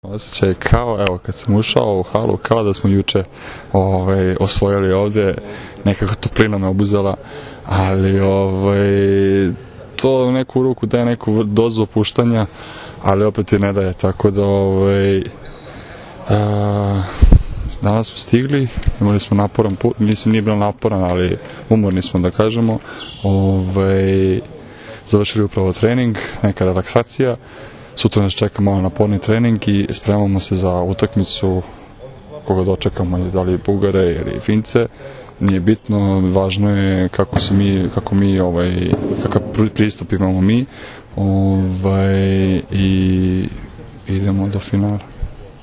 Osjećaj kao, evo, kad sam ušao u halu, kao da smo juče osvojili ovde, nekako toplina me obuzela, ali to neku ruku daje neku dozu opuštanja, ali opet i ne daje, tako da danas smo stigli, imali smo naporan put, mislim nije bilo naporan, ali umorni smo da kažemo, završili upravo trening, neka relaksacija. Sutra nas čeka malo naporni trening i spremamo se za utakmicu koga dočekamo, da li Bugare ili Fince, nije bitno, važno je kakav pristup imamo mi i idemo do finala.